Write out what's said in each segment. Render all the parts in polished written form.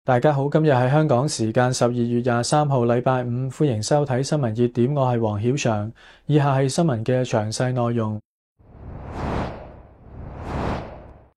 大家好，今日係香港時間12月23號，禮拜五，歡迎收睇新聞熱點，我係黃曉翔。以下係新聞嘅詳細內容。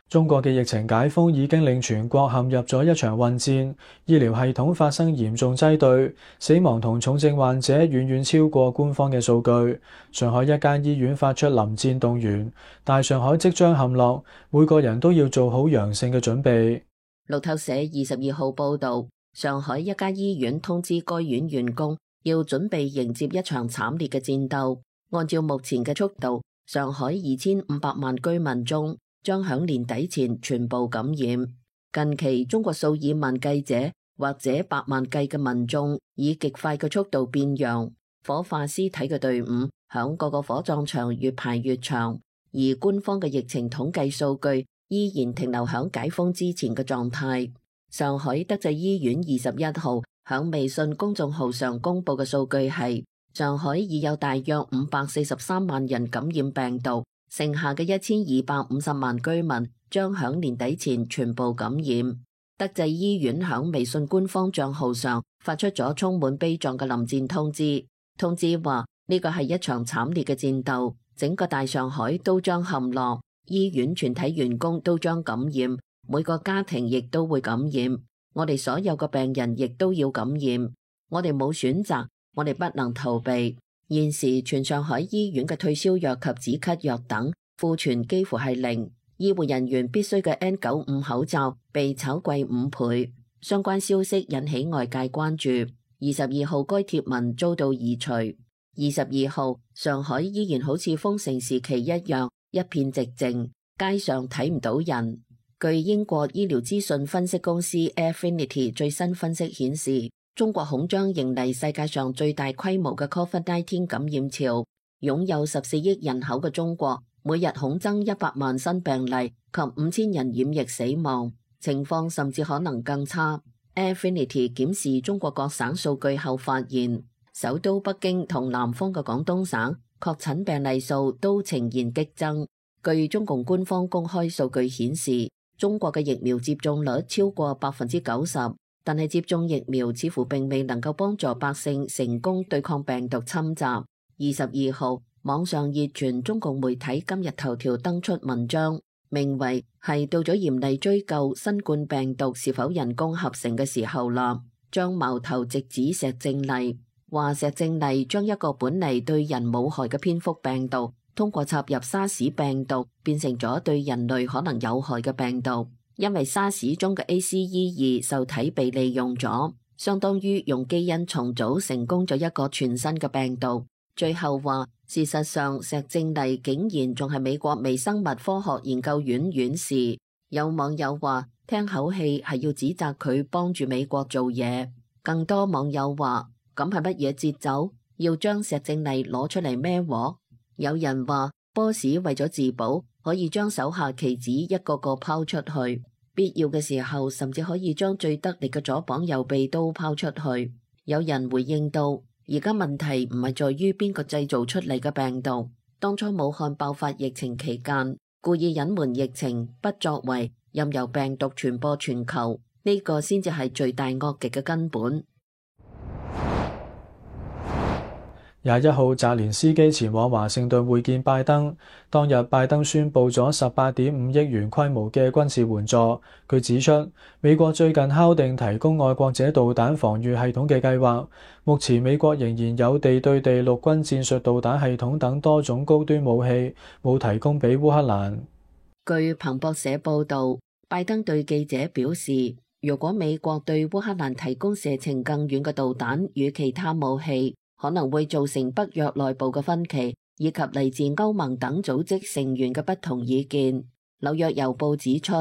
中國嘅疫情解封已經令全國陷入咗一場混戰，醫療系統發生嚴重擠兌，死亡同重症患者遠遠超過官方嘅數據。上海一間醫院發出臨戰動員，大上海即將陷落，每個人都要做好陽性嘅準備。路透社22號報道，上海一家醫院通知該院員工要準備迎接一場慘烈嘅戰鬥。按照目前嘅速度，上海2500萬居民中將響年底前全部感染。近期中國數以萬計者或者百萬計嘅民眾以極快嘅速度變陽，火化屍體嘅隊伍響各個火葬場越排越長，而官方嘅疫情統計數據依然停留響解封之前嘅狀態。上海德濟醫院21號響微信公眾號上公布嘅數據係，上海已有大約543萬人感染病毒，剩下嘅1250萬居民將響年底前全部感染。德濟醫院響微信官方賬號上發出咗充滿悲壯嘅臨戰通知，通知話呢個係一場慘烈嘅戰鬥，整個大上海都將陷落。醫院全體員工都將感染，每個家庭亦都會感染，我哋所有嘅病人亦都要感染，我哋冇選擇，我哋不能逃避。現時全上海醫院嘅退燒藥及止咳藥等庫存幾乎係零，醫護人員必須嘅 N95 口罩被炒貴5倍，相關消息引起外界關注。22號該貼文遭到移除。22號上海依然好似封城時期一樣，一片寂靜，街上睇唔到人。據英國醫療資訊分析公司 Affinity 最新分析顯示，中國恐將迎嚟世界上最大規模嘅 COVID-19 感染潮。擁有14億人口嘅中國，每日恐增100萬新病例及5000人染疫死亡，情況甚至可能更差。Affinity 檢視中國各省數據後發現，首都北京同南方嘅廣東省確診病例數都呈現激增。據中共官方公開數據顯示，中國嘅疫苗接種率超過90%，但係接種疫苗似乎並未能夠幫助百姓成功對抗病毒侵襲。22號，網上熱傳中共媒體今日頭條登出文章，名為係到咗嚴厲追究新冠病毒是否人工合成嘅時候啦，將矛頭直指石正麗。話石正麗將一個本嚟對人冇害嘅蝙蝠病毒，通過插入沙士病毒變成咗對人類可能有害嘅病毒，因為沙士中嘅 ACE2 受體被利用咗，相當於用基因重組成功咗一個全新嘅病毒。最後話，事實上石正麗竟然仲係美國微生物科學研究院院士。有網友話，聽口氣係要指責佢幫住美國做嘢。更多網友話，咁係乜嘢節奏？要將石正麗攞出嚟孭鑊？有人話，boss 為咗自保，可以將手下棋子一個個拋出去，必要嘅時候甚至可以將最得力嘅左膀右臂都拋出去。有人回應到，而家問題唔係在於邊個製造出嚟嘅病毒，當初武漢爆發疫情期間，故意隱瞞疫情，不作為，任由病毒傳播全球，呢個先至係罪大惡極嘅根本。21號，澤連斯基前往華盛頓會見拜登。當日，拜登宣布咗18.5億元規模嘅軍事援助。佢指出，美國最近敲定提供愛國者導彈防禦系統嘅計劃。目前，美國仍然有地對地陸軍戰術導彈系統等多種高端武器，冇提供俾烏克蘭。據彭博社報導，拜登對記者表示，如果美國對烏克蘭提供射程更遠嘅導彈與其他武器，可能會造成北約內部嘅分歧，以及嚟自歐盟等組織成員嘅不同意見。紐約郵報指出，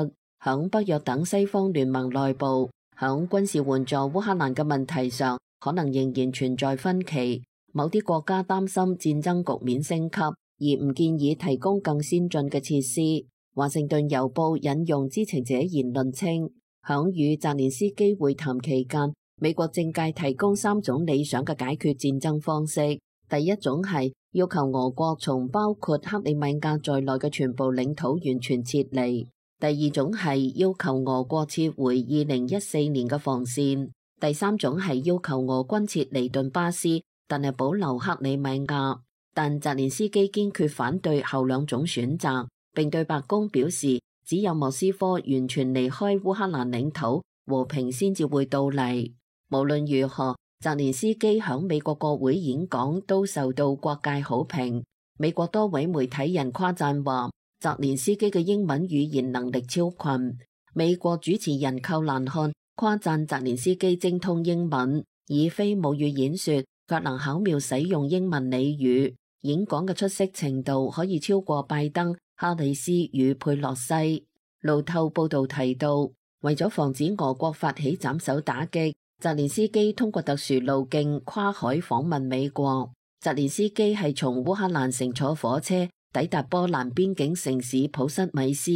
響北約等西方聯盟內部，響軍事援助烏克蘭嘅問題上，可能仍然存在分歧。某啲國家擔心戰爭局面升級，而唔建議提供更先進嘅設施。華盛頓郵報引用知情者言論稱，響與澤連斯基會談期間，美國政界提供3種理想嘅解決戰爭方式。第一種係要求俄國從包括克里米亞在內嘅全部領土完全撤離。第二種係要求俄國撤回2014年嘅防線，第三種係要求俄軍撤離頓巴斯，但係保留克里米亞。但澤連斯基堅決反對後兩種選擇，並對白宮表示，只有莫斯科完全離開烏克蘭領土，和平先至會到嚟。無論如何，澤連斯基響美國國會演講都受到各界好評。美國多位媒體人誇讚話，澤連斯基嘅英文語言能力超群。美國主持人寇蘭漢誇讚澤連斯基精通英文，以非母語演說，卻能巧妙使用英文俚語。演講嘅出色程度可以超過拜登、哈里斯與佩洛西。路透報道提到，為咗防止俄國發起斬首打擊，澤連斯基通過特殊路徑跨海訪問美國。澤連斯基係從烏克蘭乘坐火車抵達波蘭邊境城市普什米斯，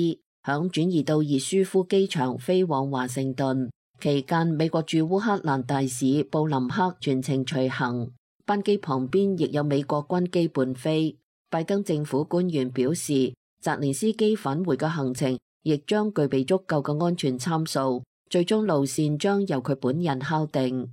響轉移到熱舒夫機場飛往華盛頓。期間，美國駐烏克蘭大使布林克全程隨行，班機旁邊亦有美國軍機伴飛。拜登政府官員表示，澤連斯基返回嘅行程亦將具備足夠嘅安全參數，最終路線將由佢本人敲定。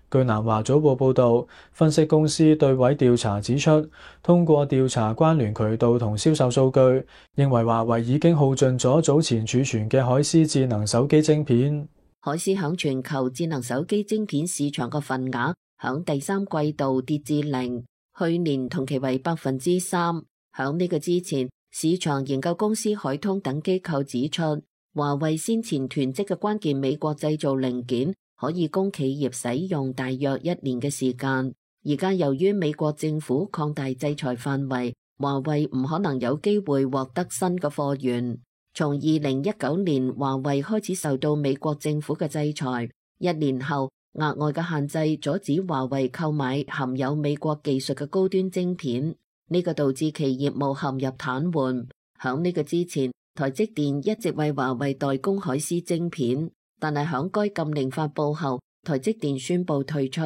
據南華早報報導，分析公司對位調查指出，通過調查關聯渠道同銷售數據，認為華為已經耗盡咗早前儲存嘅海思智能手機晶片。海思響全球智能手機晶片市場嘅份額響第三季度跌至0，去年同期為3%。響呢個之前，市場研究公司海通等機構指出，華為先前囤積嘅關鍵美國製造零件可以供企業使用大約1年嘅時間。而家由於美國政府擴大制裁範圍，華為唔可能有機會獲得新嘅貨源。從2019年華為開始受到美國政府嘅制裁，1年後額外嘅限制阻止華為購買含有美國技術嘅高端晶片，呢個導致其業務陷入癱瘓。響呢個之前，台積電一直為華為代工海思晶片，但係響該禁令發佈後，台積電宣布退出，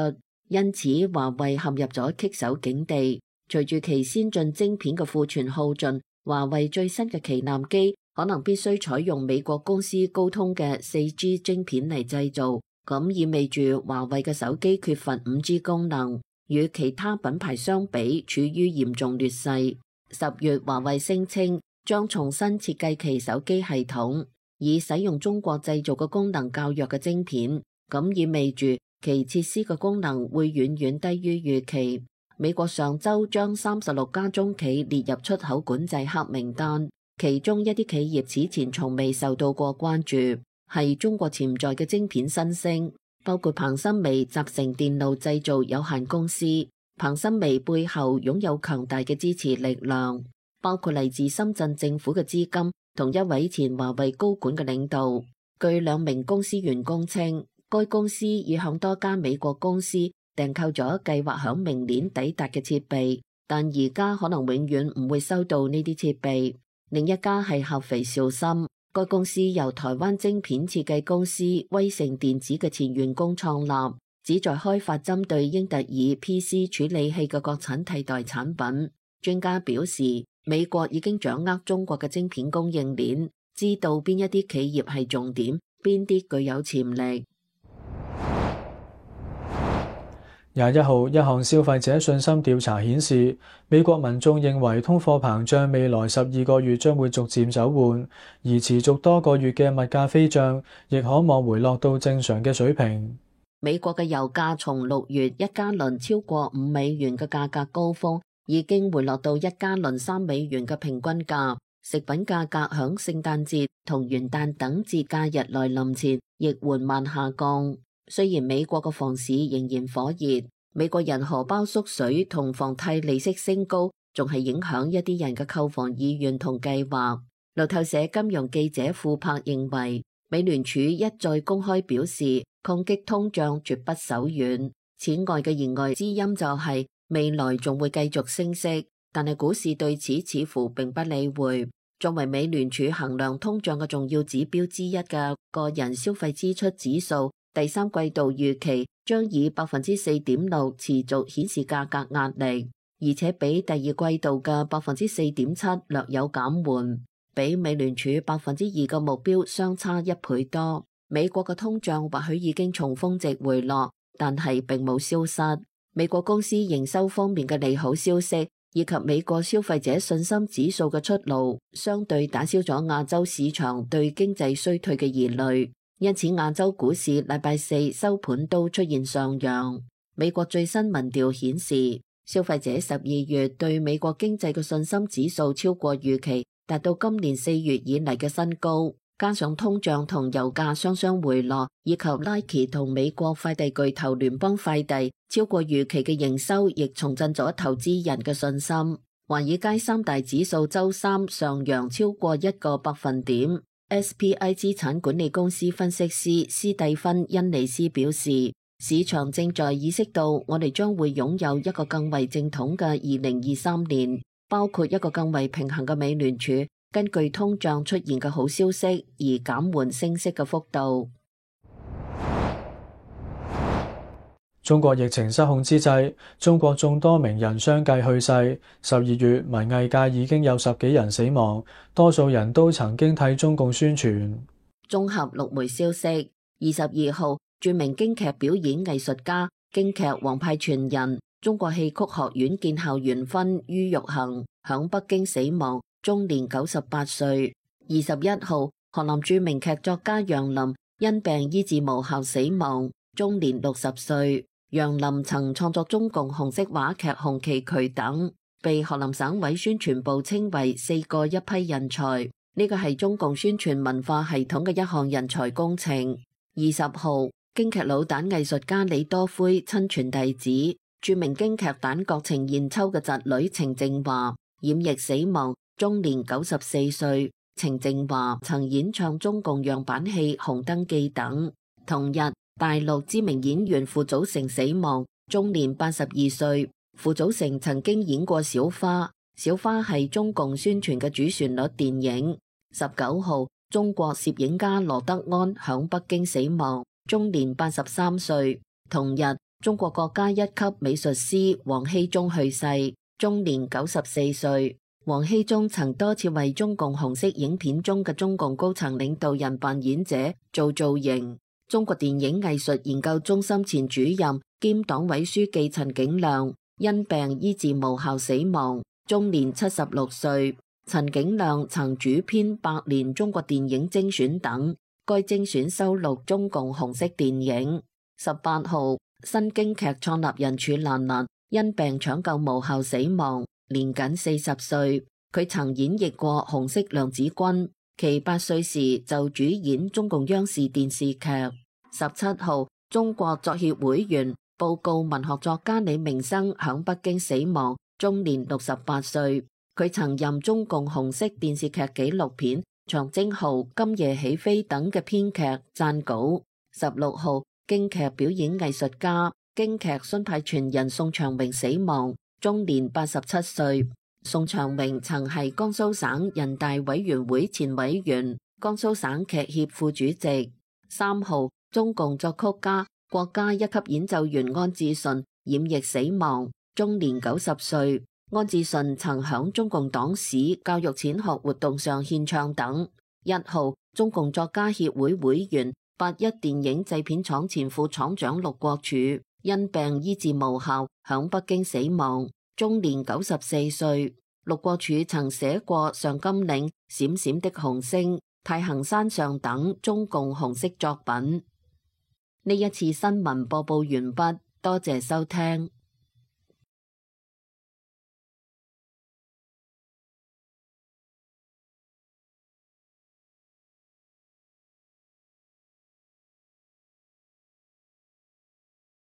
因此華為陷入咗棘手境地。隨住其先進晶片嘅庫存耗盡，華為最新嘅旗艦機可能必須採用美國公司高通嘅 4G 晶片嚟製造，咁意味住華為嘅手機缺乏 5G 功能，與其他品牌相比處於嚴重劣勢。10月華為聲稱將重新設計其手機系統，以使用中國製造嘅功能較弱嘅晶片，咁意味住其設施嘅功能會遠遠低於預期。美國上週將36家中企列入出口管制黑名單，其中一啲企業此前從未受到過關注，係中國潛在嘅晶片新星，包括彭森微集成電路製造有限公司。彭森微背後擁有強大嘅支持力量，包括嚟自深圳政府嘅資金同一位前華為高管嘅領導。據2名公司員工稱，該公司已向多家美國公司訂購咗計劃響明年抵達嘅設備，但而家可能永遠唔會收到呢啲設備。另一家係合肥兆芯，該公司由台灣晶片設計公司威盛電子嘅前員工創立，旨在開發針對英特爾 PC 處理器嘅國產替代產品。專家表示，美國已經掌握中國嘅晶片供應鏈，知道邊一啲企業係重點，邊啲具有潛力。21號，一項消費者信心調查顯示，美國民眾認為通貨膨脹未來12個月將會逐漸走緩，而持續多個月嘅物價飛漲亦可望回落到正常嘅水平。美國嘅油價從6月一加侖超過5美元嘅價格高峰，已經回落到一加侖3美元嘅平均價。食品價格響聖誕節同元旦等節假日來臨前亦緩慢下降。雖然美國嘅房市仍然火熱，美國人荷包縮水同房貸利息升高，仲係影響一啲人嘅購房意願同計劃。路透社金融記者庫珀認為，美聯儲一再公開表示，抗擊通脹絕不手軟。此外嘅言外之音就係未來仲會繼續升息，但係股市對此似乎並不理會。作為美聯儲衡量通脹嘅重要指標之一嘅個人消費支出指數，第三季度預期將以 4.6% 持續顯示價格壓力。而且比第二季度嘅4.7%略有減緩，比美聯儲2%嘅目標相差1倍多。美國嘅通脹或許已經從峰值回落，但係並冇消失。美國公司營收方面嘅利好消息，以及美國消費者信心指數嘅出爐，相對打消咗亞洲市場對經濟衰退嘅疑慮，因此亞洲股市禮拜四收盤都出現上揚。美國最新民調顯示，消費者12月對美國經濟嘅信心指數超過預期，達到今年4月以嚟嘅新高。加上通脹同油價雙雙回落，以及 Nike 同美國快遞巨頭聯邦快遞超過預期嘅營收，亦重振咗投資人嘅信心。華爾街三大指數週三上揚超過1個百分點。SPI 資產管理公司分析師斯蒂芬·恩尼斯表示，市場正在意識到我哋將會擁有一個更為正統嘅2023年，包括一個更為平衡嘅美聯儲，根據通脹出現嘅好消息而減緩升息嘅幅度。中國疫情失控之際，中國眾多名人相繼去世。12月，文藝界已經有10幾人死亡，多數人都曾經替中共宣傳。綜合6枚消息，22號，著名京劇表演藝術家、京劇王派傳人、中國戲曲學院建校元勳于玉衡響北京死亡，終年98歲。21號，河南著名劇作家楊林因病醫治無效死亡，終年60歲。楊林曾創作中共紅色話劇《紅旗渠》等，被河南省委宣傳部稱為4個一批人才。呢個係中共宣傳文化系統嘅一項人才工程。20號，京劇老旦藝術家李多輝親傳弟子，著名京劇旦角程硯秋嘅侄女程靜華染疫死亡，終年94歲。程靜華曾演唱中共樣板戲《紅燈記》等。同日，大陸知名演員傅祖成死亡，終年82歲。傅祖成曾經演過小花，小花係中共宣傳嘅主旋律電影。19號，中國攝影家羅德安響北京死亡，終年83歲。同日，中國國家一級美術師王羲之去世，終年94歲。王羲之曾多次為中共紅色影片中嘅中共高層領導人扮演者做造型。中國電影藝術研究中心前主任兼黨委書記陳景亮因病醫治無效死亡，終年76歲。陳景亮曾主編《百年中國電影精選》等，該精選收錄中共紅色電影。18號，新京劇創立人褚蘭蘭因病搶救無效死亡，年僅40歲。佢曾演繹過紅色娘子軍，其8歲時就主演中共央視電視劇。17號，中國作協會員、報告文學作家李明生響北京死亡，終年68歲。佢曾任中共紅色電視劇紀錄片《長征號》《今夜起飛》等嘅編劇、撰稿。16號，京劇表演藝術家、京劇荀派傳人宋長榮死亡，終年87歲。宋長榮曾係江蘇省人大委員會前委員、江蘇省劇協副主席。3號，中共作曲家、國家一級演奏員安志順染疫死亡，終年90歲。安志順曾響中共黨史教育淺學活動上獻唱等。1號，中共作家協會會員、81電影製片廠前副廠長陸國柱因病醫治無效，響北京死亡，終年94歲。陸國柱曾寫過《上甘嶺》、《閃閃的紅星》、《太行山上》等中共紅色作品。呢一次新聞播報完畢，多謝收聽。